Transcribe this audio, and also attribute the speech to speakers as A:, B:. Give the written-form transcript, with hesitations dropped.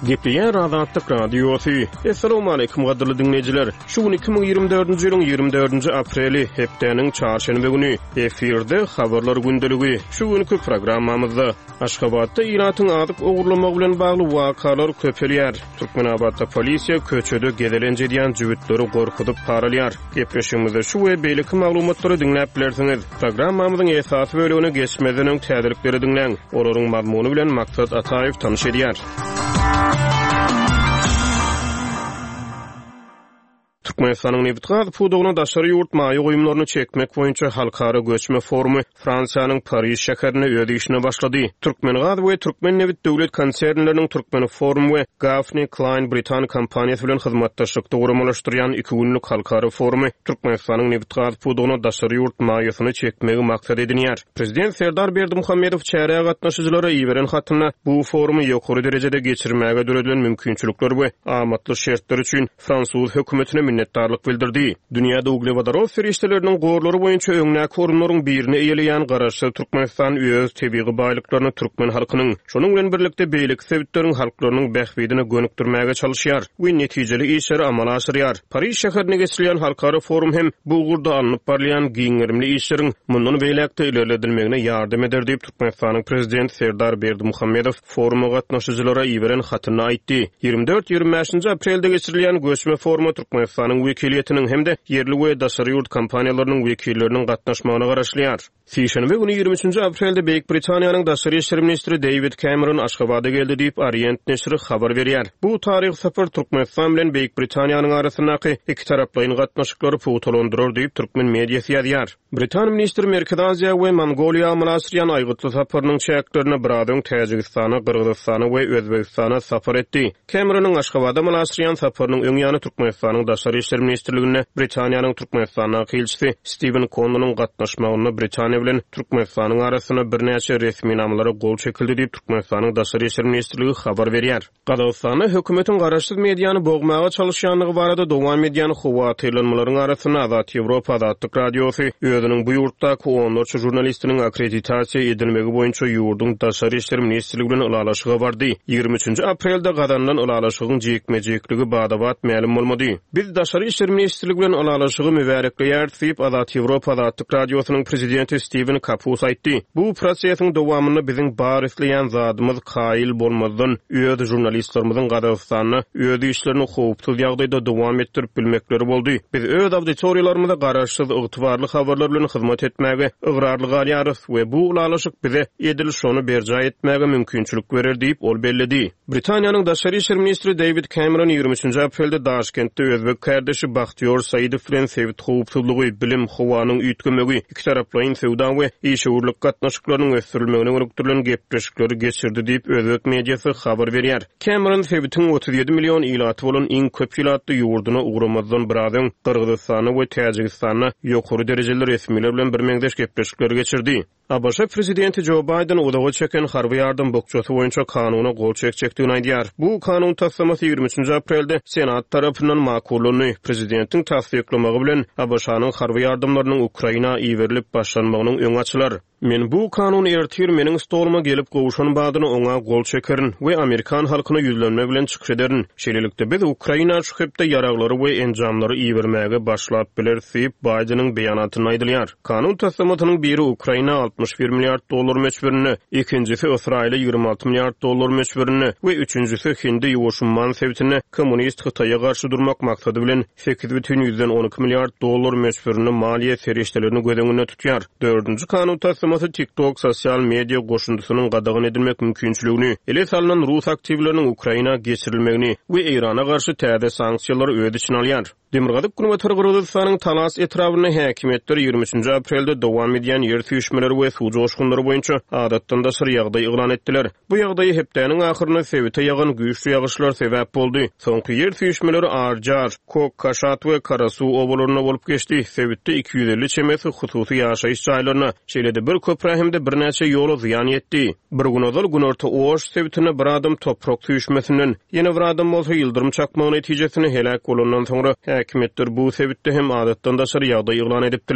A: Gepleýär Azatlyk Radiosy. Assalamualaikum gadyrly diňleýjiler. Şu gün 2024-nji ýylyň 24-nji apreli, hepdäniň çarşenbe güni. Efirde habarlar gündeligi. Şu günki programmamyzda Aşgabatda ilatyň azyk ogurlamagy bilen bagly wakalar köpelýär. Türkmenabatda polisiýa köçede gezelenç edýän jübütleri gorkuzyp para alýar. Gepleşigimizde şu we beýleki maglumatlary diňläp bilersiňiz. Programmamyzyň esasy bölegine geçmezden öň täzelikleri diňläň. Olaryň mazmuny bilen Maksat Ataýew tanyş edýär. Türkmenistanyň nebitgaz pudagyna daşary ýurt maýa goýumlaryny çekmek boýunça halkara göçme forumy Fransiýanyň Pariž şäherinde öz işine başlady. Türkmengaz we Türkmennebit döwlet konsernleriniň Türkmenforum we Gaffney Cline britan kompaniýasy bilen hyzmatdaşlykda guramalaşdyrýan iki günlük halkara forumy Türkmenistanyň nebitgaz pudagyna daşary ýurt maýasyny çekmegi maksat edinýär. Prezident Serdar Berdimuhamedow çärä gatnaşyjylara iberen hatynda bu forumy ýokary derejede geçirmäge döredilen mümkinçilikler we amatly şertler üçin fransuz hökümetine minnetdarlyk bildirdi. Dünýäde uglewodorod serişdeleriniň gorlary boýunça öňdäki orunlaryň birini eýeleýän Garaşsyz Türkmenistan öz tebigy baýlyklaryny türkmen halkynyň, şonuň bilen birlikde beýleki sebitleriň halklarynyň bähbidine gönükdirmäge çalyşýar we netijeli işleri amala aşyrýar. Pariž şäherinde geçirilýän halkara forum hem bu ugurda alnyp barylýan giň gerimli işleriň mundan beýläk-de ilerledilmegine ýardam eder diýip, Türkmenistanyň Prezidenti Serdar Berdimuhamedow foruma gatnaşyjylara iberen hatynda aýtdy. 24-25 aprelde geçirilýän göçme foruma Türkmenistanyň wekiliýetiniň hem-de ýerli we daşary ýurt kompaniýalarynyň wekilleriniň gatnaşmagyna garaşylýar. Sişenbe güni 23 aprelde Beýik Britaniýanyň daşary işler ministri Deýwid Kemeron Aşgabada geldi diýip, Orient neşiri habar berýär. Bu taryhy sapar Türkmenistan bilen Beýik Britaniýanyň arasyndaky ikitaraplaýyn gatnaşyklary pugtalandyrar diýip, türkmen mediasy ýazýar. Britan ministri Merkezi Aziýa we Mongoliýa amala aşyrýan aýgytly saparynyň çäklerinde biraz öň Täjigistana, Gyrgyzystana we Özbegistana sapar etdi. Kemeronyň Aşgabada amala aşyrýan saparynyň öň ýany Türkmenistanyň Daşary işler ministrliginde Britaniýanyň Türkmenistandaky ilçisi Stiwen Konnonyň gatnaşmagynda Britaniýa bilen Türkmenistanyň arasynda birnäçe resminamalara gol çekildi diýip, Türkmenistanyň Daşary işler ministrligi habar berýär. Gazagystanda hökümetiň garaşsyz mediany bogmaga çalyşýandygy barada dowam edýän howatyrlanmalaryň arasynda Azat Ýewropa Azatlyk Radiosy özüniň bu ýurtdaky onlarça žurnalistiniň akkreditasiýa edilmegi boýunça ýurduň Daşary işler ministrligi bilen ylalaşyga bardy. Ýigrimi üçünji aprelde gazanylan ylalaşygyň jikme-jikligi bada-bat mälim bolmady. Biz Daşary işler ministrligi bilen ylalaşygy mübärekleýäris diýip, Azat Ýewropa Azatlyk Radiosynyň prezidenti Stiwen Kapus aýtdy. Bu prosesiň dowamynda biziň bar isleýän zadymyz kaýyl bolmazdan, öz žurnalistlerimiziň Gazagystanda öz işlerini howpsuz ýagdaýda dowam etdirip bilmekleri boldy. Biz öz auditoriýalarymyza garaşsyz, ygtybarly habarlar bilen hyzmat etmäge ygrarly galýarys we bu ylalaşyk bize edil şony berjaý etmäge mümkinçilik berer diýip, ol belledi. Britaniýanyň daşary işler ministri Deýwid Kemeron ýigrimi üçünji aprelde Daşkentde özbek kärdeşi Bahtiýor Saidow bilen sebit howpsuzlygy, bilim, howanyň üýtgemegi, ikitaraplaýyn söwda we işewürlik gatnaşyklarynyň ösdürilmegine gönükdirilen gepleşikleri geçirdi diýip, özbek mediasy habar berýär. Kemeron sebitiň 37 million ilaty bolan iň köp ilatly ýurduna ugramazdan biraz öň Gyrgyzystanda we Täjigistanda ýokary derejeli resmiler bilen birmeňzeş gepleşikleri geçirdi. ABŞ prezidenti Jo Baýden uzaga çeken harby ýardam bukjasy boýunça kanuna gol çekjekdigini aýdýar. Bu kanun taslamasy ýigrimi üçünji aprelde Senat tarapyndan makullandy. Prezidentiň tassyklamagy bilen, ABŞ-nyň harby ýardamlarynyň Ukraina iberilip başlanmagynyň öňi açylar. Men bu kanun ertir meniň stoluma gelip gowşan badyna oňa gol çekerin we amerikan halkyna ýüzlenme bilen çykyş ederin. Şeýlelikde, biz Ukraina şu hepde ýaraglary we enjamlary ibermäge başlap bileris diýip, Baýdeniň beýanatynda aýdylýar. Kanun taslamasynyň biri Ukraina 61 milliard dollar möçberinde, ikinjisi Ysraýyla 26 milliard dollar möçberinde we üçünjisi Hindi-Ýuwaş umman sebitinde kommunist Hytaýa garşy durmak maksady bilen 8,12 milliard dollar möçberinde maliýe serişdelerini göz öňünde tutýar. Dördünji kanun taslamasy TikTok sosial media goşundysynyň gadagan edilmek mümkinçiligini, ele salnan rus aktiwleriniň Ukraina geçirilmegini we Eýrana garşy täze sanksiýalary öz içine alýar. Demirgazyk-günbatar Gyrgyzystanyň Talas etrabynda häkimiýetler ýigrimi üçünji aprelde dowam edýän ýer süýşmeleri we suw joşgunlary boýunça adatdan daşary ýagdaý yglan etdiler. Bu ýagdaýa hepdäniň ahyrynda sebite ýagan güýçli ýagyşlar sebäp boldy. Soňky ýer süýşmeleri Arjar, Kok Kaşat we Karasuw obalarynda bolup geçdi. Sebitde 250 çemesi hususy ýaşaýyş jaýlaryna, şeýle-de bir köprä hem-de birnäçe ýola zyýan ýetdi. Bir gün ozal Günorta Oş sebitinde bir adam toprak süýşmesinden, ýene bir adam bolsa ýyldyrym çakmagy netijesinde heläk bolandan soňra, häkimiýetler bu sebitde hem adatdan daşary ýagdaý yglan edipdiler.